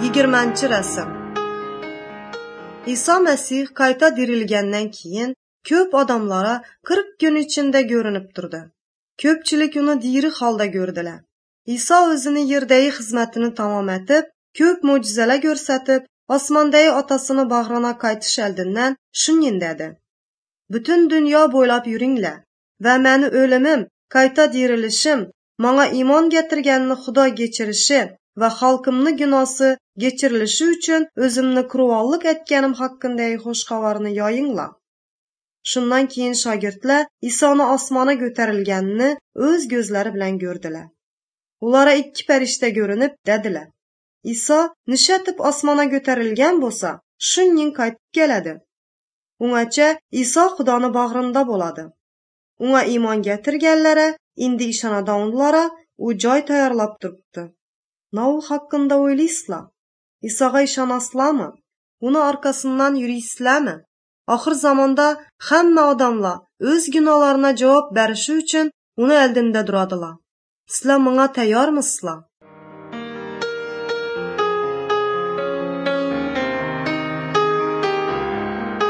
20-rəsm. İsa Məsih qayta dirilgəndən keyin köp adamlara 40 gün içində görünüb durdu. Köpçülük onu diri halda gördülər. İsa özünü yerdəyi xidmətini tamam etib, köp möcüzələr göstərib, osmondagi otasini bag'rina qaytish oldidan shunday dedi: Bütün dünya bo'ylab yuringlar va meni o'limim, qayta dirilishim, manga iymon getirganni Xudo kechirishi va xalqimni gunosi kechirilishi uchun o'zimni qurvonlik etganim haqidagi xush xabarni yoyinglar. Shundan keyin shogirdlar Isoni osmonga ko'tarilganini o'z ko'zlari bilan ko'rdilar. Ulara ikki farishta ko'rinib dedilar: Iso nishatib osmonga ko'tarilgan bo'lsa, shunning qaytib keladi. Ungacha Iso Xudoni bag'rinda bo'ladi. Unga iymon getirganlara, endi ishonadiganlara u joy tayyorlab turibdi. Nima haqida o'ylaysizlar? Isoga ishonasizlarmi? Uni orqasidan yuraysizlarmi? Oxir zamonda hamma odamlar o'z gunohlarına javob berishi uchun uni oldinda turadilar. Sizlar bunga tayyormisizlar?